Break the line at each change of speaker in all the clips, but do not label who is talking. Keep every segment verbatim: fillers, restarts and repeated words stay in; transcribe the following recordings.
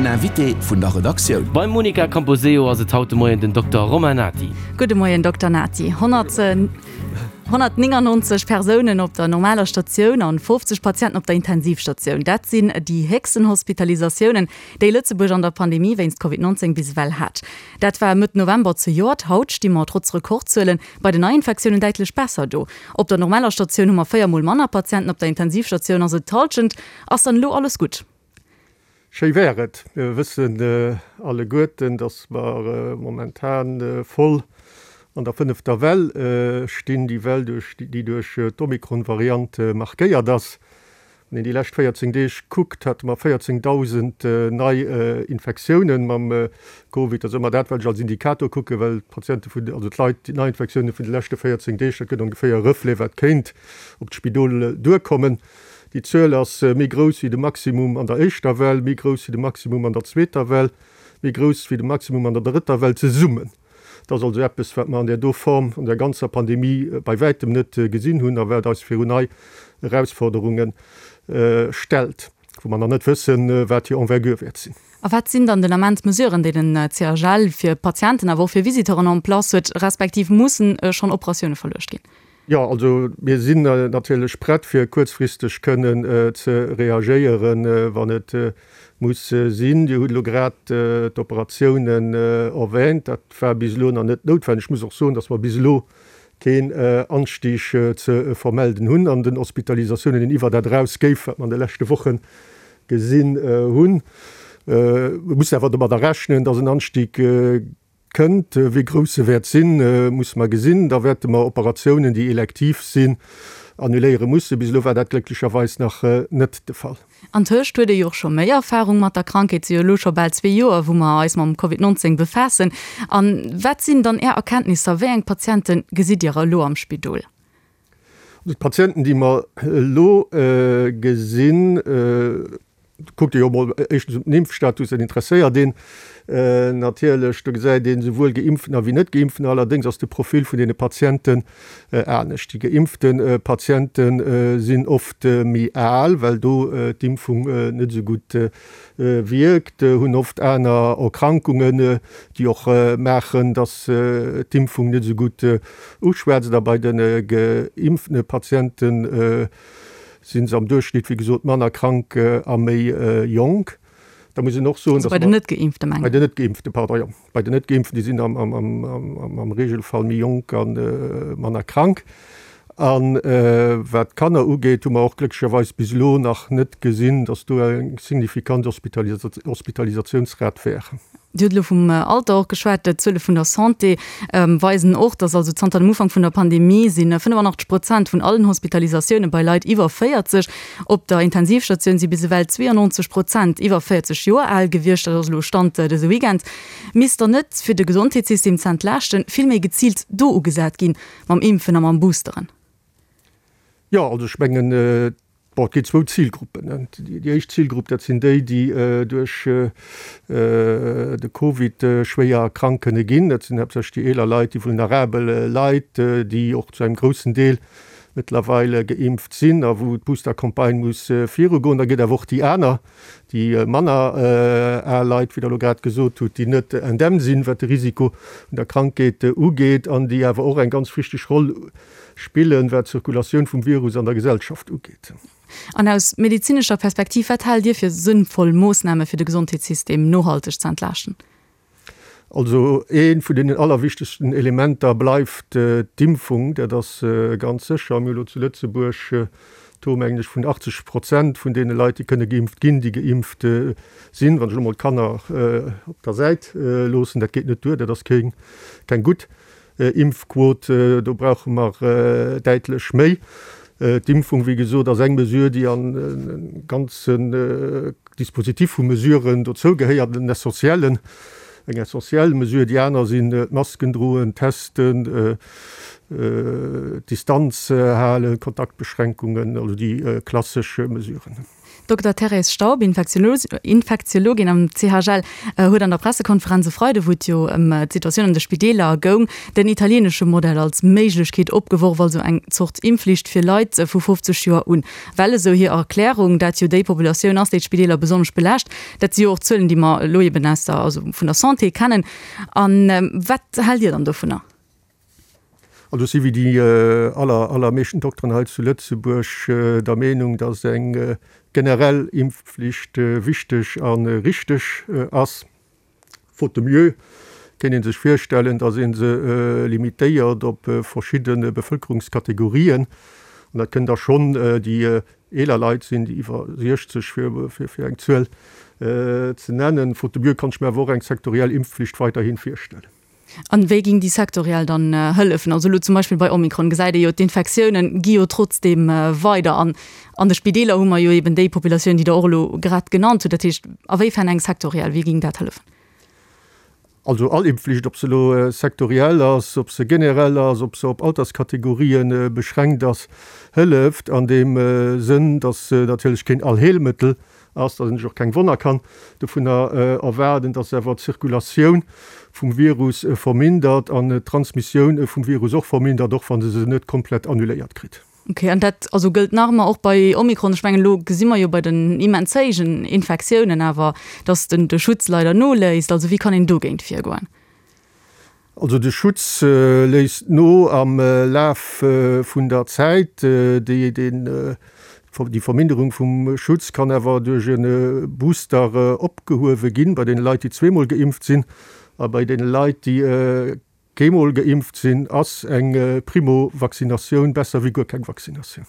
Invité vun der Redaktioun.
Beim Monica Camposeo ass et haut de Moien den Dokter Romain Nati.
Gudde Moien Dokter Nati. honnertnéngannonzeg Persounen op der normaler Statioun an fofzeg Patienten op der Intensivstatioun, dat sinn déi héchsten Hospitalisatiounen, déi Lëtzebuerg an der Pandemie wéinst Covid neunzéng bis ewell hat. Dat war Mëtt November zejoert. Haut sti mer trotz Rekordzuele bei den Neiinfektiounen däitlech besser do. Op der normaler Statioun hu mer véier Mol manner Patienten, op der Intensivstatioun ass et d'Hallschent. Ass dann elo alles gutt?
Schéi wär et. Mir wëssen alleguerten, datt mer momentan voll an der fënnefter Well stinn, déi Well, déi duerch d'Omikron-Variant markéiert ass. Wann een déi lescht véierzéng Deeg kuckt, hate mer véierzéngdausend nei Infektiounen mam Covid. Dat ass ëmmer dat, wat ech als Indikator kucken, well d'Patiente vun, also d'Leit, déi Neiinfektioune vun de leschte véierzéng Deeg, dat gëtt ongeféier e Reflet, wat kéint op d'Spidol duerkommen. Déi Zuel ass méi grouss wéi de Maximum an der éischter Well, méi grouss wéi de Maximum an der zweeter Well, méi grouss wéi de Maximum an der drëtter Well zesummen. Dat ass also eppes, wat mer an där do Form an der ganzer Pandemie bei wäitem net gesinn hunn a wat eis virun nei Erausforderunge stellt, wou mer nach net wëssen, wat hir Envergure wäert sinn.
A wat sinn dann den Ament d'Mesuren, déi den C H L fir Patienten, awer och fir Visiteuren en place huet, respektiv mussen schonn Operatioune verluecht ginn?
Jo, also mir sinn natierlech prett, fir kuerzfristeg kënnen ze reagéieren, wann et muss sinn. Dir hutt elo grad d'Operatiounen erwähnt. Dat war bis elo nach net noutwenneg. Ech muss och soen, dass mer bis elo keen Anstieg ze vermelden hunn an den Hospitalisatiounen, deen iwwer dat eraus géif, wat mer an de leschte Woche gesinn hunn. Mir mussen awer domadder rechnen, dass en Anstieg kënnt. Wéi grouss e wäert sinn, musse mer gesinn. Da wäerte mer Operatiounen, déi elektiv sinn, annuléiere mussen. Bis elo war dat glécklecherweis nach net de Fall.
Antëscht huet ee jo och scho méi Erfarung mat der Krankheet. Et si jo elo scho bal zwee Joer, wou mer eis mam Covid neunzéng befaassen. A wat sinn dann Är Erkenntnisser? Wéi eng Patiente gesitt Dir elo am Spidol?
Also d'Patienten, déi mer elo gesinn, kuckt ee jo emol éischtens op den Impfstatus, dat interesséiert een natierlech. Do gesäit een esouwuel Geimpftener wéi Net-Geimpftener. Allerdéngs ass de Profil vun deene Patienten anescht. Déi geimpfte Patiente sinn oft méi al, well do d'Impfung net esou gutt wierkt, hunn oft aner Erkrankungen, déi och maachen, datt d'Impfung net esou gutt uschwätzt. A bei de geimpfte Patienten si se am Duerchschnitt, wéi gesot, manner krank a méi jonk. Da muss een och soen,
dass mer. Bei den Net-Geimpfte mengen
ech. Bei den Net-Geimpfte, pardon, jo. Bei den Net-Geimpften, déi sinn am Regelfall méi jonk a manner krank. A wat d'Kanner ugeet, hu mer och glécklecherweis bis elo nach net gesinn, dass do eng signifikant Hospitalisatiounsrat wär.
Dir hutt elo vum Alter och geschwat. D'Zuele vun der Santé weisen och, dass also zanter dem Ufank vun der Pandemie si fënnefannachtzeg Prozent vun allen Hospitalisatioune bei Leit iwwer véierzeg. Op der Intensivstatioun si bis ewell zweeannonzeg Prozent iwwer véierzeg Joer al gewiescht. Dat ass elo Stand dëse Weekend. Misst dann net, fir de Gesondheetssystem ze entlaaschten, vill méi geziilt do ugesat ginn, mam Impfen a mam Boosteren?
Jo, also ech mengen, bon, et ginn zwou Zilgruppen. Déi éischt Zilgrupp, dat sinn déi, déi duerch de Covid schwéier krank kënne ginn. Dat sinn haaptsächlech déi eeler Leit, déi vulnerabel Leit, déi och zu engem groussen Deel mëttlerweil geimpft sinn a wou d'Boostercampagne muss virugoen. Da gëtt awer och déi aner, déi manner al Leit, wéi Der elo grad gesot hutt, déi net indemn sinn, wat de Risiko vun der Krankheet ugeet an déi awer och eng ganz wichteg Roll spillen, wat d'Zirkulatioun vum Virus an der Gesellschaft ugeet.
An aus medezinescher Perspektiv, wat haalt Dir fir sënnvoll Moossname fir de Gesondheetssystem nohalteg ze entlaaschten?
Also ee vun deenen allerwichtegsten Elementer bleift d'Impfung, dat ass ganz sécher. Mir hu elo zu Lëtzebuerg Taux, mengen ech, vun achtzeg Prozent vun deene Leit, déi kënne geimpft ginn, déi geimpft sinn. Wann ech elo mol d'Kanner op der Säit loossen, dat geet net duer, dat ass keng gutt Impfquot, do brauche mer däitlech méi. D'Impfung, wéi gesot, ass eng Mesure, déi an e ganzen Dispositif vu Mesuren dozou gehéiert, en essentiellen, eng essentiell Mesure. Déi aner sinn d'Masken droen, testen, d'Distanz halen, Kontaktbeschränkungen, also déi klassesch Mesuren.
Dokter Thérèse Staub, Infektiologin am C H L, huet an der Pressekonferenz e Freide, wou et jo ëm d'Situatioun an de Spideeler goung, den italieenesche Modell als Méiglechkeet opgeworf, also eng Zort Impfflicht fir Leit vu fofzeg Joer un. Well, esou hir Erklärung, dat jo déi Populatioun ass, déi d'Spideeler besonnesch belaascht. Dat si jo och Zuelen, déi mer elo eben aus der, also vun der Santé kennen. A wat haalt Dir dann dovunner?
Also si wéi déi aller, allermeeschten Dokteren hei zu Lëtzebuerg der Meenung, dass eng generell Impfflicht wichteg a richteg ass. Faute de mieux kéint ee sech virstellen, dass ee se limitéiert op verschidde Bevëlkerungskategorien. An dat kënnen da schonn déi eeler Leit sinn, déi iwwer siechzeg, fir, fir eng Zuel ze nennen. Faute de mieux kann ech mir awer och eng sektoriell Impfflicht weiderhi virstellen.
An wéi ging déi sektoriell dann hëllefen? Also elo zum Beispill bei Omikron gesäit ee jo, d'Infektiounen gi jo trotzdeem weider. An an de Spideeler hu mer jo eben déi Populatioun, déi Der och elo grad genannt hutt. Dat heescht, a wéifern eng sektoriell, wéi ging dat hëllefen?
Also all Impfflicht, ob se elo sektoriell ass, ob se generell ass, ob se op Alterskategorien beschränkt ass, hëlleft an deem Sënn, datt se natierlech keen Allheelmëttel ass, datt een sech och keng Wonner kann dovunner erwaarden, datt se awer d'Zirkulatioun vum Virus vermindert an d'Transmissioun vum Virus och vermindert, och wa se se net komplett annuléiert kritt.
Ok, an dat also gëllt nach ëmmer och bei Omikron? Ech mengen, elo gesi mer jo bei den immens héijen Infektiounen awer, datt den de Schutz leider noléisst. Also wéi kann een dogéint virgoen?
Also de Schutz léisst no am Laf vun der Zäit. Déi, den, déi Verminderung vum Schutz kann awer duerch e Booster opgehuewe ginn, bei deene Leit, déi zweemol geimpft sinn, a bei deene Leit, déi keemol geimpft sinn, ass eng Primo-Vaccinatioun besser wéi guer keng Vaccinatioun.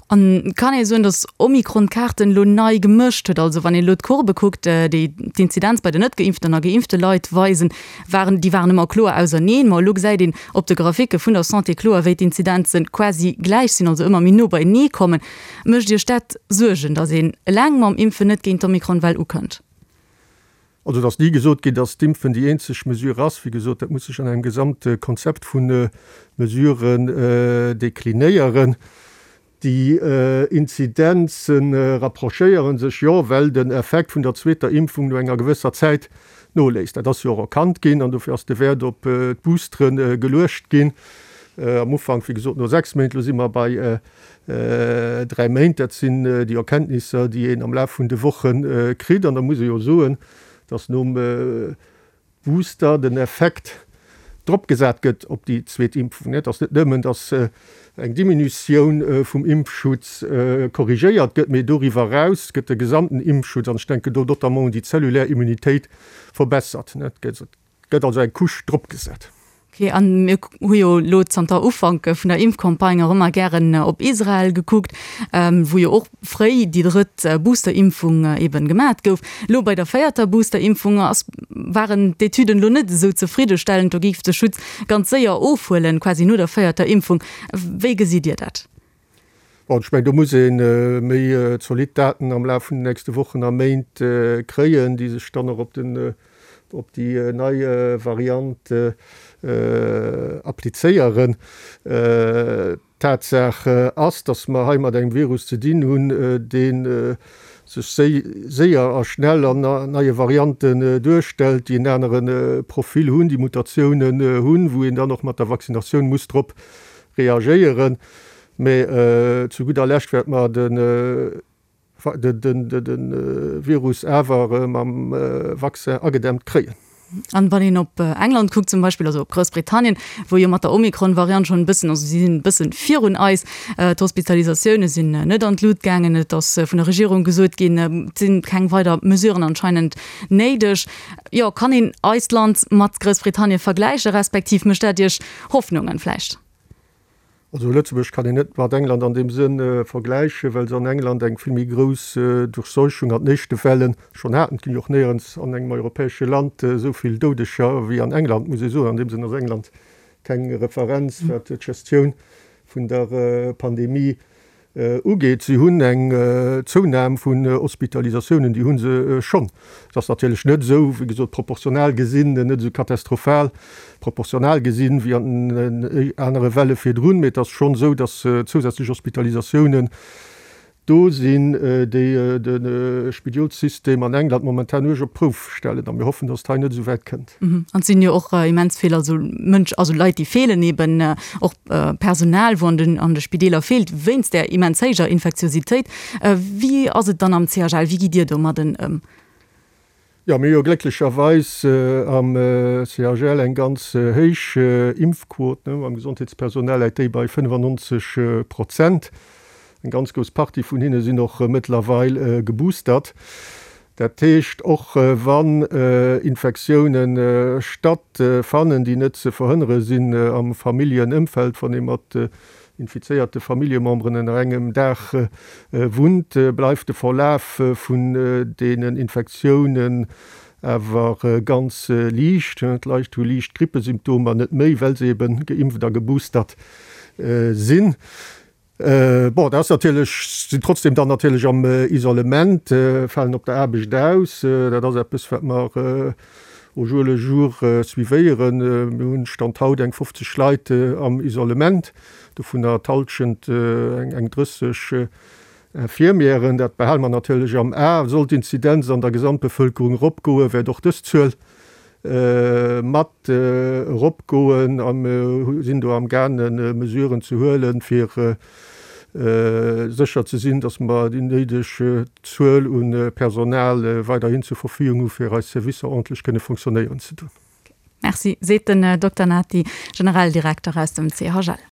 An kann ee soen, datt Omikron d'Kaarten elo nei gemëscht huet? Also wann een elo d'Courbe kuckt, déi d'Inzidenz bei den net geimpften a geimpfte Leit weisen, waren, déi waren ëmmer kloer auserneen. Ma elo gesäit een op de Graphike vun der Santé kloer, wéi d'Inzidenzen quasi gläich sinn, also ëmmer méi no beienee kommen. Mécht Iech dat Suergen, datt een eleng mam Impfen net géint d'Omikron-Well ukënnt?
Also et ass ni gesot ginn, datt d'Impfen déi eenzeg Mesure ass. Wéi gesot, dat muss sech an engem gesamte Konzept vu Mesuren deklinéieren. Déi Inzidenze rapprochéiere sech jo, well den Effekt vun der zweeter Impfung no enger gewësser Zäit noléisst. Dat ass jo och erkannt ginn an dofir ass de Wäert op d'Boostere geluecht ginn. Am Ufank, wéi gesot, no sechs Méint, elo si mer bei dräi Méint. Dat sinn déi Erkenntnisser, déi een am Laf vun de Woche kritt. An da muss ee jo soen, dass nom Booster den Effekt dropgesat gëtt op déi zweet Impfung. Et ass net nëmmen, dass eng Diminutioun vum Impfschutz korrigéiert gëtt, mee doriwwer eraus gëtt de gesamten Impfschutz, an ech denken do notamment un déi zellulär Immunitéit, verbessert. Et gëtt also eng Couche dropgesat.
Ok, an mir hu jo elo zanter Ufank vun der Impfcampagne och ëmmer gären op Israel gekuckt, wou jo och fréi déi drëtt Boosterimpfung eben gemat gouf. Elo bei der véierter Boosterimpfung ass, waren d'Etüden elo net esou zefriddestellend, do géif de Schutz ganz séier ofhuelen, quasi no der véierter Impfung. Wéi gesitt Dir dat?
Bon, ech mengen, do muss ee méi zolidd Daten am Laf vun den nächste Wochen a Méint kréien, déi sech dann och op den op déi nei Variant applizéieren. Tatsaach ass, datt mer hei mat engem Virus ze dinn hunn, dee sech séier a schnell an neie Varianten duerstellt, déi en anere Profil hunn, déi Mutatiounen hunn, wou een dann och mat der Vaccinatioun muss drop reagéieren. Mä zu gudder Lescht wäerte mer de de Virus awer mam Vaccin agedämmt kréien.
An wann een op England kuckt zum Beispill, also op Groussbritannien, wou jo mat der Omikron-Variant schonn e bëssen, also si sinn e bëssen virun eis, d'Hospitalisatioune sinn net an d'Lut gaangen, et ass vun der Regierung gesot ginn, et sinn keng weider Mesuren anscheinend néideg. Jo, kann een eist Land mat Groussbritannien vergläichen, respektiv mécht dat Iech Hoffnungen vläicht?
Also Lëtzebuerg kann een net mat England an deem Sënn vergläichen, well se an England eng vill méi grouss Durchseuchung an den éischte Welle schonn haten. Et ginn jo och néierens an engem europäesche Land esou vill Doudeger wéi an England, muss ee soen. An deem Sënn ass England keng Referenz, wat d'Gestioun vun der Pandemie ugeet. Si hunn eng Zounam vun Hospitalisatiounen, déi hu se schonn. Et ass natierlech net esou, wéi gesot, proportional gesinn, net esou katastrophal proportional gesinn wéi an den anere Welle virdrun, mee et ass schonn esou, datt zousätzlech Hospitalisatiounen do sinn, déi de Spidolssystem an England momentan uerg op d'Prouf stellen. A mir hoffen, datt et hei net esou wäit kënnt.
An et sinn jo och immens vill also Mënsch, also Leit, déi feelen eben, och Personal, wou an den an de Spideeler feelt wéinst där immens héijer Infektiositéit. Wéi ass et dann am C H L? Wéi gitt Dir domadden ëm?
Jo, mir hu jo glécklecherweis am C H L eng ganz héich Impfquot. Beim Gesondheetspersonal läit déi bei fënnefannonzeg Prozent. Eng ganz grouss Partie vun hinne sinn och mëttlerweil geboostert. Dat heescht, och wann Infektioune stattfannen, déi net ze verhënnere sinn am Familljenëmfeld, wann ee mat infizéierte Familljememberen ënner engem Daach wunnt, bleift de Verlaf vun deenen Infektiounen awer ganz liicht. D'Leit hu liicht Grippesymptomer, net méi, well se eben geimpft a geboostert sinn. Bon, dat ass natierlech, sinn trotzdem dann natierlech am Isolement, falen op der Aarbecht aus. Dat ass eppes, wat mer au jour le jour suivéieren. Mir hunn Stand haut eng fofzeg Leit am Isolement, dovunner d'Hallschent, eng drësseg Infirmièren. Dat behale mer natierlech am A. Sollt d'Inzidenz an der Gesamtbevëlkerung eropgoen, wäert och dës Zuel mat eropgoen a mir sinn do amgaangen, Mesuren ze huelen, fir sécher ze sinn, dass mer déi néideg Zuel u Personal weiderhin zur Verfügung hu fir eis Servicer ordentlech kënne fonctionnéieren ze doen.
Merci, seet den Dokter Nati, Generaldirekter aus dem C H L.